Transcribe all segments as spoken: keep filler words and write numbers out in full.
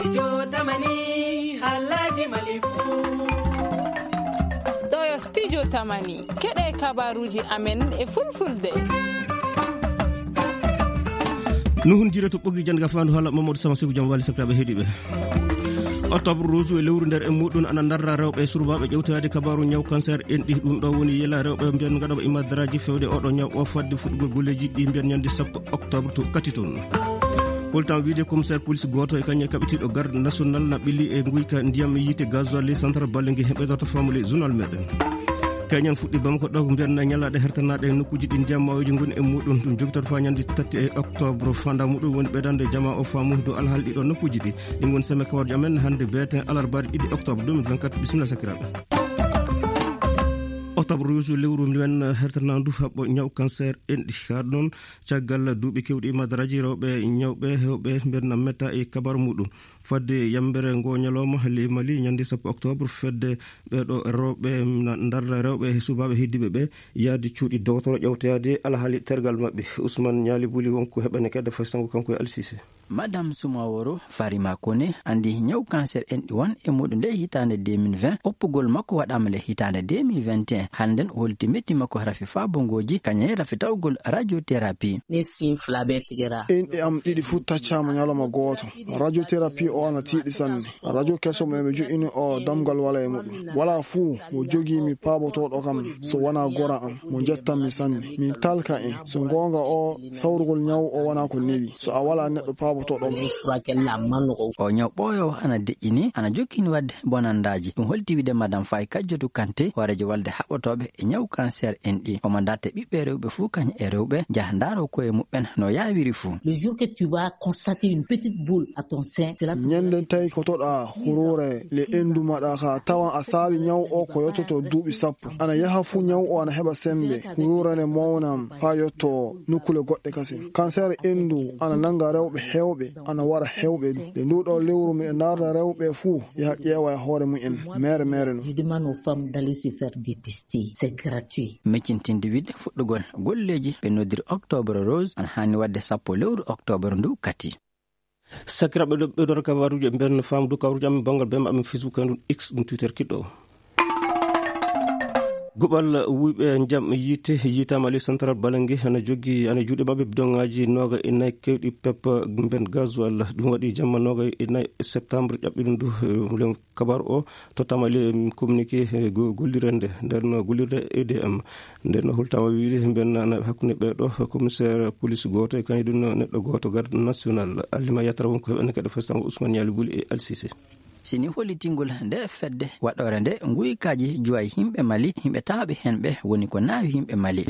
Studio Tamani, haalaaji Mali fuu. Ɗo yo Studio Tamani, keɗe kabaruuji amen e Fulfulde. Nuhun jire to ɓogi jannga faandu haala Mamadou Sama Sigu jam wali sakiraaɓe heɗiiɓe. Octobre rose e lewru nder e muɗum ana ndarra rewɓe e surbaaɓe ƴewtoyaade kabaaru ñaw cancer enɗi. Ɗum ɗo woni yela rewɓe mbiyan ngaɗooɓe imadaraaji fewde oɗo ñaw o fadde fuɗɗugol golleeji ɗi mbiyan ñande sappo octobre to kati toon. Holtan wiide commissaire police gooto e kañum e kaɓitiiɗo garde national na ɓili e nguyka ndiyam yiite gasoil e central Balengue he ɓeydata famule journal meɗen. Keñen fuɗɗi Bamako ɗo mbiyan ñalaaɗe hertanaaɗe e nokkuuji ɗi ndiyam mawoji ngoni e muɗum. Ɗum jogitoto faa ñande tati e octobre. Fanda muɗum woni ɓeydande jama o faamu dow alhaali ɗiɗo nokkuuji ɗi. Ɗi ngoni seme kawarjo amen hannde beeten alarbaari ɗiɗi octobre deux mille vingt-quatre. Bisimilla sakiraaɓe. Octobre rose lewru men hertanandu haɓɓo ñaw cancer enɗi. Haa ɗon caggal duuɓi kewɗi imadaraaji rewɓe ñawɓe hewɓe mbiyan metta e kabar muɗum. Fadde yambere ngo ñalawma ley Mali ñande sappo octobre fedde ɓeeɗo rewɓe na ndarra rewɓe e subaaɓe heddiiɓe ɓe yaade cuuɗi dowtoro ƴewtoyaade alhaali tergal maɓɓe. Ousmane Ñaali Buli wonko heɓane kedde fay sango kanko e Alsise. Madame Sumaworo Farima Kone andi ñaw cancer enɗi won e muɗum nde hitaande deux mille vingt. Oppugol makko waɗaama le hitaande deux mille vingt et un. Hannden o holti metti makko rafi faabongooji kañe rafi tawgol radiothérapie. Enɗe am ɗiɗi fuu taccaama ñalawma gooto. Radiothérapie o ana tiiɗi sanne. Radio keso mo ɓe jo'ini o damgal wala e muɗum. Wala fuu mo jogii mi paabotooɗo kam so wonaa gora am mo njettan mi sanne. Mi talka en. So goonga o sawrugol ñaw o wonaa ko newi. So a wala neɗɗo paabotooɗo mo. O ñaw ɓooyoowo ana deƴƴini, ana jokkini waɗde bonandaaji. Ɗum holti wiide Madame Faye Kajjotu Kante, hooreejo walde haɓɓotooɓe e ñaw cancer enɗi. Omo darta ɓiɓɓe rewɓe fuu kañum e rewɓe njaha ndaaro koye muɓɓen no yaawiri fuu. Le jour que tu vas constater une petite boule à ton sein, c'est là que ñande tawi ko toɗa huruure le endu maɗa ka tawan a saawi ñaw o ko yottoto duuɓi sappo. Ana yaha fuu ñaw o ana heɓa sembe. Huruure le mawnan faa yotto nokkule goɗɗe kasin. Cancer endu ana nanga rewɓe hewɓe, ana wara hewɓe du. Nde ndu ɗo lewru miɗo ndaarda rewɓe fuu yaha ƴeewa e hoore mumen, mere mere no. Je demande aux femmes d'aller se faire dépister. C'est gratuit. Miccintinde wiɗde fuɗɗugol golleeji ɓe noddiri octobre rose ana haani waɗde sappo lewru octobre ndu kati. Sakiraaɓe ɓe ɗo kabaruuji ɓen faamdu kabaruuji amen banngal bee maɓɓe Facebook e ɗum X ɗum Twitter kiɗɗo o. Goɓal wuyɓe njam yiite yiitaama ley central Balengue ana joggi ana juuɗe maɓɓe bidoŋaaji nooga e nayi kewɗi pep mben gasoil. Ɗum waɗi jamma nooga e nayi septembre ƴaɓɓiɗum ndu. Kabar o tottama le communiqué gollirde nder no gollirde E D M. Nder no hultama wiide mben hakkunde ɓeeɗo commissaire police gooto e kañum ɗum neɗɗo gooto garde national. Alima yatra won ko heɓene kadi festango Ousmane Yali Buli e Alsise. Sini hollitingol nde fedde waɗore nde nguykaaji juway yimɓe Mali, yimɓe taaɓe hen ɓe woni ko naawi yimɓe Mali.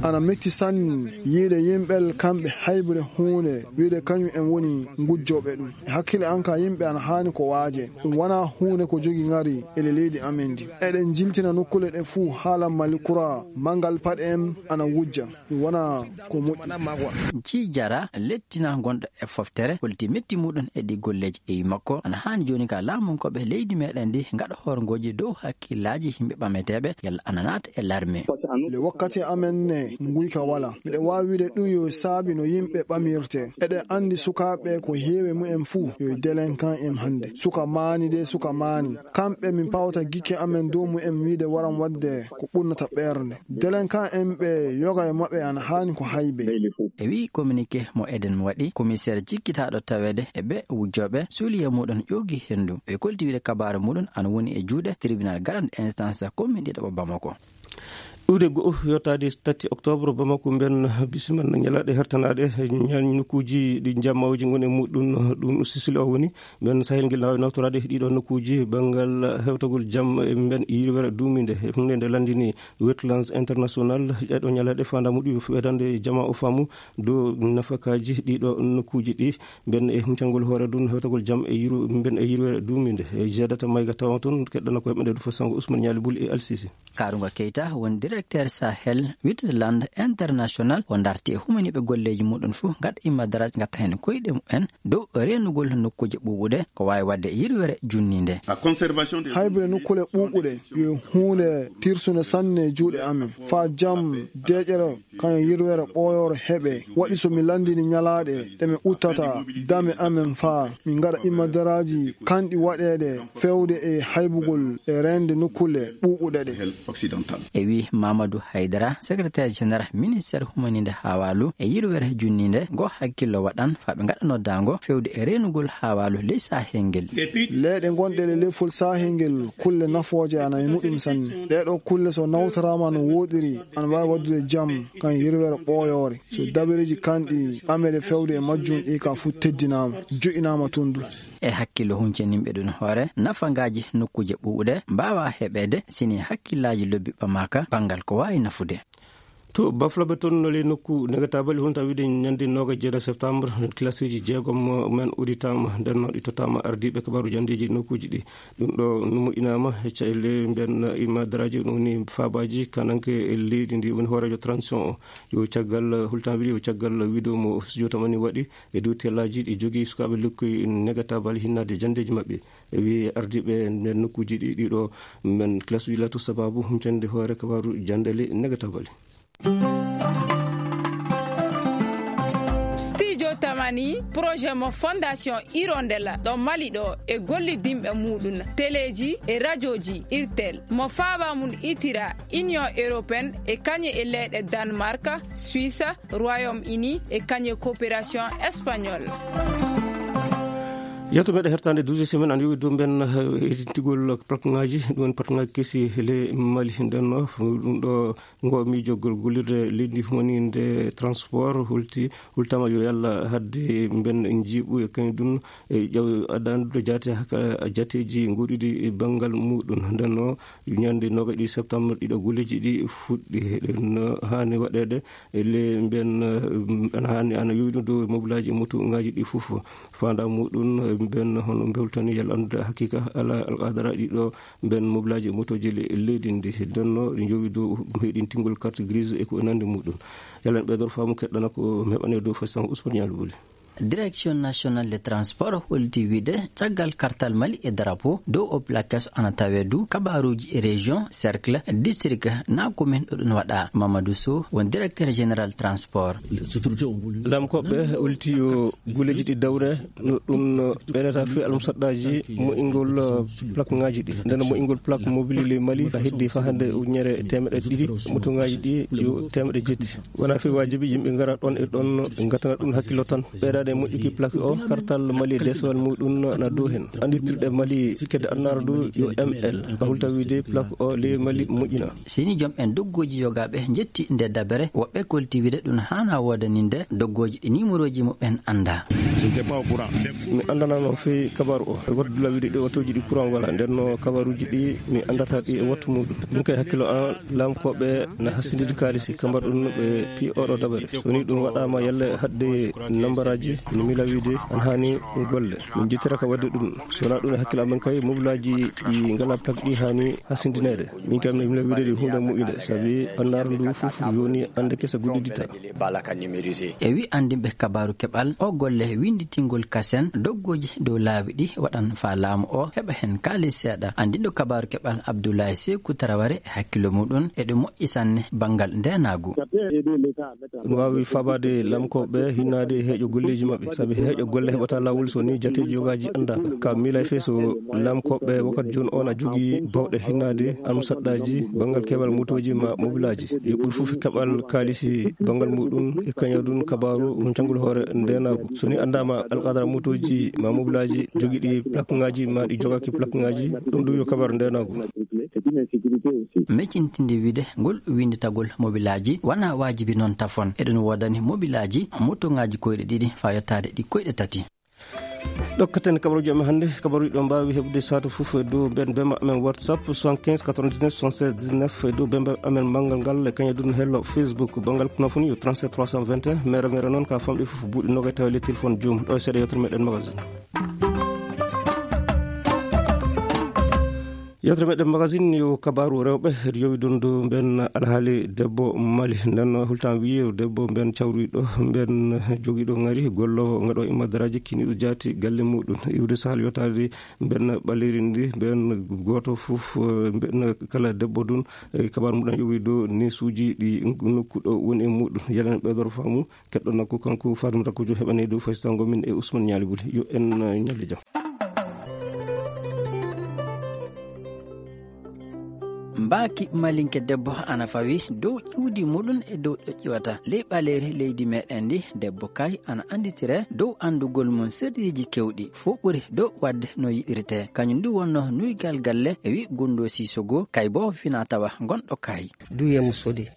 Ana metti sanne yiide yimɓe kamɓe haybude huunde wiide kañum en woni ngujjooɓe ɗum. E hakkille an ka yimɓe ana haani ko waaje. Ɗum wonaa huunde ko jogi ngari ele leydi amen ndi. Eɗen jiltina nokkule ɗe fuu haala Mali kura manngal paɗe en ana wujja. Ɗum wonaa ko moƴƴi. Ci jara lettina gonɗo e foftere holti metti muɗum e ɗi golleeji e wi makko ana haani jooni ka laamunkooɓe leydi meɗen ndi ngaɗa horngooji dow hakkillaaji yimɓe ɓameteeɓe yalla ana naata e larme. Le wakkati amen ne nguyka wala. Miɗo waawi wiide ɗum yo saabi no yimɓe ɓamirte. Eɗen anndi sukaaɓe ko heewi mumen fuu yo délinquant en hannde. Suka maani de suka maani. Kamɓe min pawta gikke amen dow mumen wiide waran waɗde ko ɓurnata ɓernde. Délinquant en ɓe yoga e maɓɓe ana haani ko haybe. E wi communiqué mo eɗen waɗi, commissaire jikkitaaɗo taweede e ɓe wujjooɓe suuliye muɗum ƴoogi henndu. Ɓe kolti wiide kabaaru muɗum ana woni e juuɗe tribunal grande instance commune ɗiɗaɓo Bamako. Iwde go'o yottaade tati octobre Bamako mben bisimilla ñalaaɗe hertanaaɗe ñan nokkuuji ɗi jammawji ngoni e muɗum. Ɗum sisili o woni mben sahel ngel naawi nawtoraade ɗiɗo nokkuuji banngal hewtagol jam e mben yirwere duuminde. Hunde nde lanndini Wetlands International ɗeɗo ñalaaɗe fanda muɗum ɓeydande jama o faamu dow nafakaaji ɗiɗo nokkuuji ɗi mben e huncangol hoore ɗum hewtagol jam e yiru mben e yirwere duuminde. E jeedata mayga tawa toon keɗɗana ko heɓɓe nde ɗum fof sango Ousmane Ñaali Bul e Alsisi. Kaarunga Keita wondir Directeur Sahel Witland International o darti e humaniiɓe golleeji muɗum fof, gaɗa imma daraaji, gatta heen koyɗe mumen dow reenugol nokkuuje ɓuuɓuɗe, ko waawi waɗde yirwere junniinde. Haybude nokkuule ɓuuɓuɗe yo huunde tirsunde sanne e juuɗe amen. Faa jam, deeƴere, kañum yirwere ɓooyoore heɓe. Waɗi so mi lanndini ñalaaɗe ɗe mi uttata dame amen faa min ngaɗa imma daraaji kanɗi waɗeede feewde e haybugol e reende nokkuule ɓuuɓuɗe ɗe. E wii Mamadou Haydara, secrétaire général ministère humaniinde haawaalu e yirwere junniinde, ngo hakkillo waɗan faa ɓe ngaɗa noddaango feewde e reenugol haawaalu ley Sahel ngel. Leyɗe gonɗe e leyfol Sahel ngel, kulle nafooje ana e muɗum sanne. Ɗee ɗoo kulle so nawtoraama no wooɗiri, ana waawi waɗdude jam kan yirwere ɓooyoore. So dabareeji kanɗi ameede feewde e majjum ɗi ka fof teddinaama, joƴinaama toon du. E hakkillo huncaniiɓe ɗum hoore, nafangaaji nokkuuje ɓuuɓuɗe mbaawaa heɓeede sini hakkillaaji lobbi ɓamaaka banngal ko waawi nafude. To bafloɓe toon no ley nokku Negataabali, hunta wiide ñande noogaas e jeeɗiɗi septembre, kilasiiji jeegom men udditaama, nden noon ɗi tottaama ardiiɓe kabaaru janndeeji nokkuuji ɗi. Ɗum ɗo no moƴƴinaama e caɗeele mbiyen imma daraaji, ɗum woni faabaaji kananke e leydi ndi woni hooreejo transition o. Yo caggal hultan wiide, yo caggal wiido mo studio tamani waɗi e dow tellaaji ɗi jogii sukaaɓe lekkoy Negataabali hinnaade janndeeji maɓɓe. E wii ardiiɓe nden nokkuuji ɗi, ɗiɗo men kilasuuji laatu sabaabu huncande hoore kabaaru janndeele Negataabali. Studio Tamani, projet mo Fondation Hirondelle ɗo Mali ɗo e gollidinɓe muɗum, teleeji e rajooji Irtel, mo faaba mum itira Union Européenne e kañe e leyɗe Danemark, Suisse, Royaume-Uni e kañe coopération espagnole. Yewto meɗen hertande douze semaine an yowi dow mben, eh, edintigol plaque ngaji, ɗum woni plaque ngaji kesi le Mali. Nden no ɗum ɗo ngo miijogol gollirde leydi humaninde transport hulti, hultama yo yalla hadde mben jiiɓu e kañum ɗum e ƴaw addandude jaate haka jateeji goɗɗuɗi e banngal muɗum. Nden no ñande noga ɗi septembre ɗiɗo golleeji ɗi fuɗɗi. Ɗen no haani waɗeede e le mben, eh, ana haani ana yowi ɗum dow mobulaji e moto ngaji ɗi fof. Fanda muɗum, eh, mben hono mbewtani yalla anndude haqiqa ala alqadara ɗiɗo mben mobulaji e motoji le leydi ndi. Nden no ɗi jowi dow heɗintingol carte grise e ko e nande muɗum. Yalla en ɓeydor faamu keɗɗana ko mi heɓane dow fay sango Ousmane Ñaali Wuli. Direction nationale de transport holti wiide caggal kartal Mali e drapeau dow o plaquage ana tawe du kabaruji e région, cercle, district na commune ɗo ɗum waɗa. Mamadou Sow won directeur général transport. Lamkoɓe holti yo guleji ɗi dawre no ɗum ɓeɗata fi almusaddaji moƴƴingol plaque ngaji ɗi. Nden moƴƴingol plaque mobile le Mali ka heddi fa hande ujunere temeɗe ɗiɗi, moto ngaji ɗi yo temeɗe jetti. Wona fi wajibi yimɓe ngara ɗon e ɗon ngatana ɗum hakkillo tan. Ɓeydaade moƴƴuki plaque o, kartal Mali e desewal muɗum na dow hen. Andirtirɗe Mali kedde annara du yo M L. Ka hulta wiide plaque o le Mali moƴƴina. Sini joom en dogguji yogaɓe jetti nde dabere, woɓɓe kolti wiide ɗum hana woodaninde dogguji ɗi numéroji muɓen anda. Mi andanano fi kabaru o. Waddu la wiide ɗi otoji ɗi courant wala. Nden no kabaruji ɗi mi andata ɗi e wattu muɗum. Min kay hakkillo an lamkoɓe na hasindidi kaalisi, ka mbaɗ ɗum ɓe pi oɗo dabare. So ni ɗum waɗama yalle hadde nambaraji, no mila wiide an hani golle. Min jittira ka wadde ɗum. So na ɗum e hakkille amen kay, mobulaji ɗi ngala plaque ɗi hani hasindinede. Min kam no mila wiide ɗi hunde mu'ide, sabi andar ndu fof yoni ande kesa guddidita. E wi andinɓe kabaru keɓal, o golle winditingol kasen doggoji dow laawi ɗi waɗan fa laamu o heɓa hen kaalis seeɗa. Andinɗo kabaru keɓal Abdoulaye Sekou Traoré e hakkillo muɗum e ɗum moƴƴi sanne banngal ndenagu. Ɗum waawi fabaade lamkoɓe hinnaade heeƴo golleeji maɓɓe, sabi heeƴo golle heɓata laawol so ni jateeji yogaji anndaaka. Ka miila fe so lamkoɓe wakkati jooni on a jogii bawɗe hinnaade almusaddaji banngal keɓal motooji ma mobilaaji. Yo ɓuri fof keɓal kaalisi banngal muɗum e kañadun kabaaru hun canngol hoore ndenagu. So ni anndaama alqadara motooji ma mobilaaji jogiɗi plaque ngaji ma ɗi jogaki plaque ngaji, ɗum ɗum yo kabaaru ndenagu. Meccintinde wiide ngol winnditagol mobilaaji wona waajibi noon tafon. Eɗen woodani mobilaaji motoŋaaji koyɗe ɗiɗi faa yottaade ɗi koyɗe tati. Ɗokkaten kabaruuji amen hannde. Kabaruuji ɗo mbaawi heɓude saatu fof e dow ben bema amen WhatsApp soixante-quinze quatre-vingt-dix-neuf soixante-seize dix-neuf, e dow bembe amen manngal ngal e kañum ɗum hello Facebook. Banngal kono fof ni yo trente-sept trois cent vingt et un, mere mere noon ka famɗi fof buuɗi nogay tawa le téléphone joom. Ɗo e seeɗa yewtere meɗen magazine. Yewtere meɗen magasin yo kabaaru rewɓe, yowi dundu mben alhaali debbo Mali. Nden hultan wiye debbo mben cawruɗo mben jogiɗo ngari gollo ngaɗo imma daraaji kiniɗo jaati galle muɗum. Iwde sahal yottaade mben ɓaleeri ndi, mben gooto fof, eh, mben kala debbo dun, eh, kabaaru muɗum yowi dow neesuuji ɗi nokku ɗo woni e muɗum. Yalana ɓeydoro faamu, keɗɗo nokku kanko Fatimata Kujo heɓani dow faysango min e Ousmane Ñaali Buli. Yo en, eh, ñalli jam. Mbaaki malinke debbo ana fawi dow ƴuwdi muɗum e dow ɗo ƴiwata. Ley ɓaleeri leydi meɗen ndi, debbo kay ana annditire dow anndugol mum sirriiji kewɗi, fof ɓuri dow waɗde no yiɗirtee. Kañum ndu wonno nuygal galle e wi Gunndo Sisogo, kay bo fina tawa gonɗo kay. Duye musodi.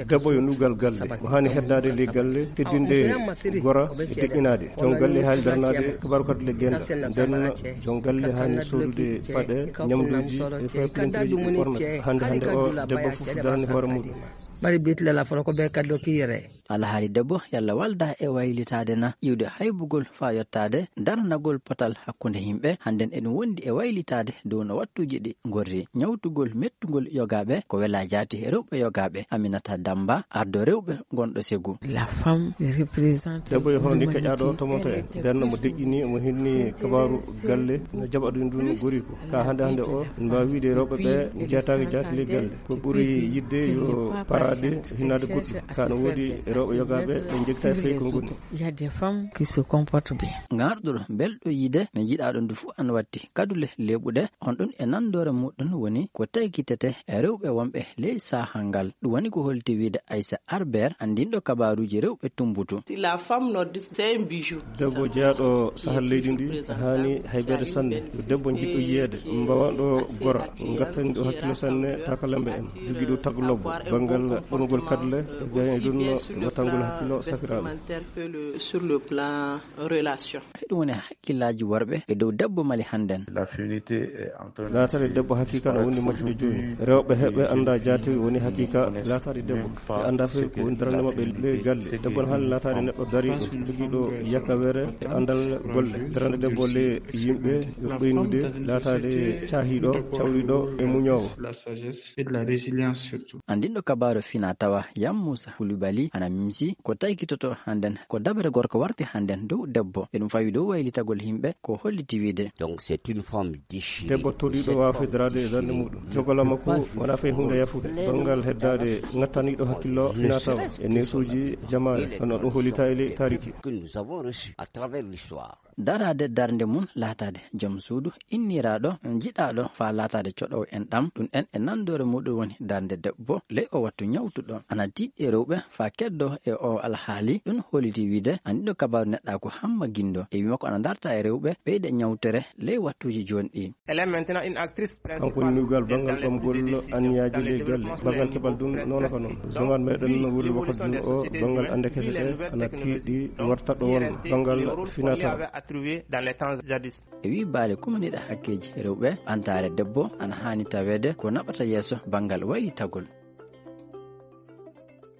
Debbo yo nugal galle, mo haani heddaade ley galle, teddinde gora e deƴƴinaade. Jon galle haani daranaade kabaaru kadi le genda. Nden jon galle haani sodude paɗe, ñamduuji e faypinteeji ɗi ɓornata. Hannde hannde o debbo fof darani hoore muɗum. Bari bit la la folo ko be kaddo ki yere. Alhaali debbo yalla walda e waylitaade na iwde haybugol faa yottaade daranagol potal hakkunde yimɓe. Hannden eɗum wondi e waylitaade dow no wattuuji ɗi ngorri. Ñawtugol mettugol yogaaɓe ko wela jaati rewɓe yogaaɓe. Aminata Damba, ardo rewɓe gonɗo Segu. La femme représente. Debbo yo hono ni kaƴaaɗo tomoto en. Nden mo deƴƴini, mo hinni kabaaru galle, no jaɓa ɗum ɗum gori ko. Ka hannde hannde o, en mbaawi wiide rewɓe ɓe jeetaaki jaati ley galle. Ko ɓuri yiɗde yo paraade hinnaade goɗɗum. Ka no woodi rewɓe yogaaɓe ɓe njegta e fey ko ngoni. Il y a des femmes qui se comportent bien. Ngarɗuɗo belɗo yiide, mi jiɗaa ɗum ndu fof an watti. Kadule leeɓuɗe, on ɗum e nandoore muɗum woni ko taykitete e rewɓe wonɓe ley saha ngal. Ɗum woni ko holti wiide Aissa Arber, anndinɗo kabaaruuji rewɓe tumbutu. Si la femme nordiste, c'est un bijou. Debbo jeyaaɗo sahal leydi ndi, haani haybeede sanne. Yo debbo jiɗɗo yiyeede, mbawaɗo gora, ngattaniɗo hakkilo sanne, takalamɓe en. Jogiiɗo tagu lobbo, banngal ɓornugol kadle, e gayni ɗum no wattangol hakkilo sakiraaɓe. Sur le plan relation. Ɗum woni hakkillaaji worɓe e dow debbo Mali hannden. La féminité est en train de... Laataade debbo hakiika no woni majjude jooni. Rewɓe heɓe annda jaati woni hakiika laataade debbo. Ɓe annda fey ko woni darande maɓɓe ley galle. Debbo no haani laataade neɗɗo dariiɗo, jogiiɗo yakawere e anndal golle. Darande debbo ley yimɓe yo ɓeynude, laataade caahiiɗo, cawriiɗo e muñoowo. La sagesse et de la résilience surtout. Anndinɗo kabaaru fina tawa Yam Moussa Koulibaly ana mimsi ko taykitoto hannden ko dabere gorko warti hannden dow debbo. Eɗum fawi dow waylitagol yimɓe ko holliti wiide. Donc c'est une femme déchirée. Debbo toɗiiɗo waawa federaade e darnde muɗum. Jogola makko wona fey huunde yafude. Banngal heddaade ngattaniiɗo hakkillo fina tawa e neesuuji jamaane, hono ɗum hollita e ley taariki. Que nous avons reçu à travers l'histoire. Daraade darnde mum laataade joom suudu inniraaɗo, jiɗaaɗo faa laataade coɗoowo en ɗam, ɗum en e nandoore muɗum woni darnde debbo ley o wattu ñawtuɗo. Ana tiiɗi e rewɓe faa keddo e o alhaali, ɗum holliti wiide anndinɗo kabaaru neɗɗaaku Hamma Gindo e wii makko ana darta e rewɓe ɓeyde ñawtere ley wattuuji jooni ɗi. Elle est maintenant une actrice principale. Kanko woni nuugal banngal ɓamgol anniyaaji ley galle. Banngal keɓal ɗum noon ko noon. Zaman meɗen wuurde wakkati ɗum o, banngal annde kese ɗe ana tiiɗi warta ɗo wonno. Banngal finata. Dans les temps jadis. E wii baale kumaniiɗe hakkeeji rewɓe, ɓantaare debbo ana haani taweede ko naɓata yeeso banngal waylitagol.